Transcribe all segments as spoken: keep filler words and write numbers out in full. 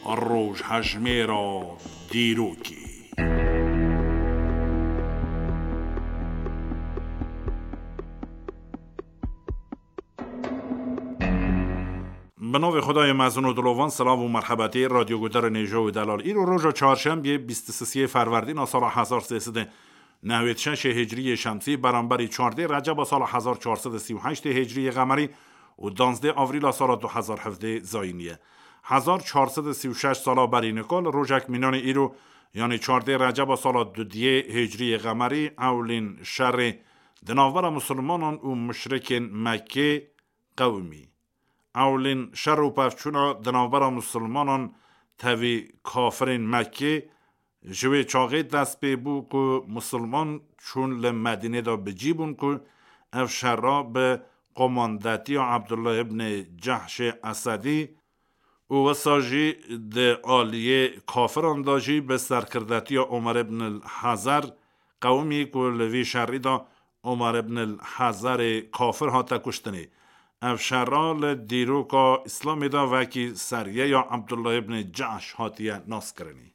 Rojhejmêra dîrokê. Bi navê Xwedayê mezin û dilovan, silav û merhebetê radyoguhdarên hêja û delal. Îro roja çarşembiyê, bîst û sisiyê ferwerdîna sala hezar sê sed û newêd şeşê hicriyê şemsî, beramberî çardê receba sala hezar çar sed û sî û heştê hicriyê qemerî û danzdê avrîla sala du hezar hevdê zayînî ye. Hezar çar sed û sî û şeş sala berî nika li rojek mînanê îro, yanî çardê receba sala dudiyê hicriyê qemerî, ewlîn şerê di navbera misilmanan û muşrikên Mekkê qewimî. Ewlîn şer û pevçûna di navbera misilmanan tevî kafirên Mekkê ji wê çaxê dest pê bû ku misilman çûn li Medînê de bi cî bûn ku ev şera bi komandetiya Abdullah ibn Cehşê Esedî û wisa jî di aliyê kafiran de jî bi serkirdetiya Omer ibn el Hezer qewimî ku li vî şerî de Omer ibn el Hezerê kafir hate kuştinê. Ev şera li dîroka Îslamê de wekî seriyeya Abdullah ibn Cehş hatiye naskirinê.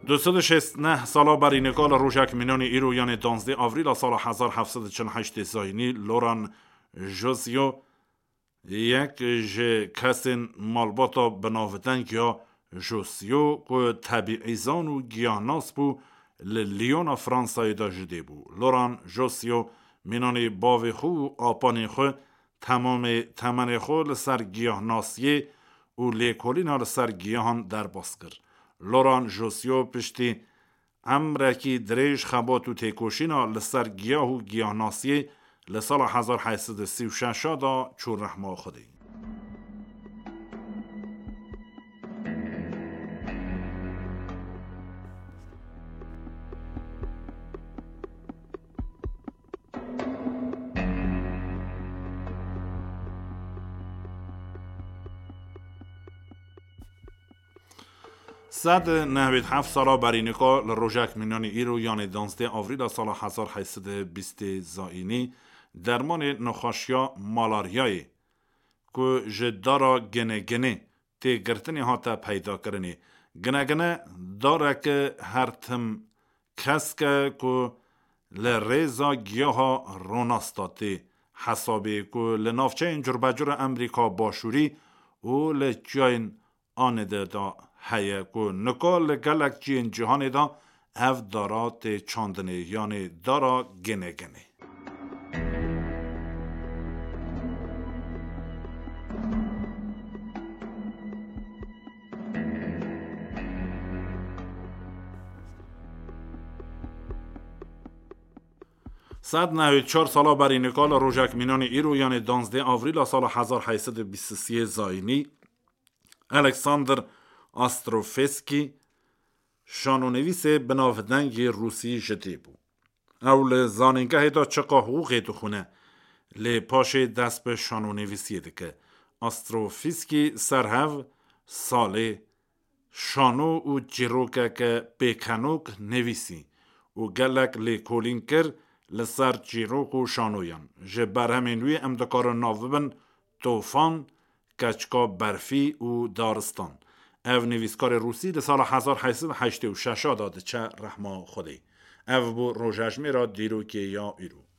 Du sed û şêst neh sala berî nika li rojek mînanî îro, yanê danzdê avrîla sala hezar heft sed û çil û heştê zayînî, Loran Josio, yek ji kesên malbata binavdeng ya Josio ku tebîîzan û giyahnas bû, li Lyona Fransayê de ji dê bû. Loran Josio mînanî bavê xwe û apanê xwe temamê temenê xwe li ser giyahnasiyê û lêkolîna li ser giyahan derbas kir. Loran Josio piştî emrekî dirêj xebat û têkoşîna li ser giyah û giyahnasiyê li sala hezar heyt sed û sî û şeş de çû rehma Xwedê. Sed nehwêd heft sala berî nika li rojek mînanî îro, yanê danzdê avrîla sala hezar heyt sed û bîstê zayînî, dermanê nexweşiya malaryayê ku ji dara gineginê tê girtinê hate peydakirinê. Ginegine dareke her tim kesk e ku li rêza giyaha ronasta tê hesabê ku li navçeyên curbecur a Amerîka Başûrî û li çiyayên anide de heye ku nika li gelek ciyên cîhanê de ev dara tê çandinê, yanê dara gineginê. Sed nehwêd çar sala berî nika li rojek mînanî îro, yanê danzdê avrîla sala hezar heyt sed û bîst û sê zayînî, Alexander Astrofeski, şanonivîsê binavdengê Rûsî ji dê bû. Ew li zanîngehê de çiqa hiqûqê dixwîne, lê paşê dest bi şanonivîsiyê dike. Astrofîskî ser hev salê şano û çîrokeke pêkenok nivîsî û gelek lêkolîn kir li ser çîrok û şanoyan. Ji berhemên wî em dikarin nav bibin Tofan, Keçika Berfî û Daristan. Ev nivîskarê Rûsî di sala hezar heyt sed û heştê û şeş de diçe rehma Xwedê. Ev bû rojejmêra dîrokê ya îro.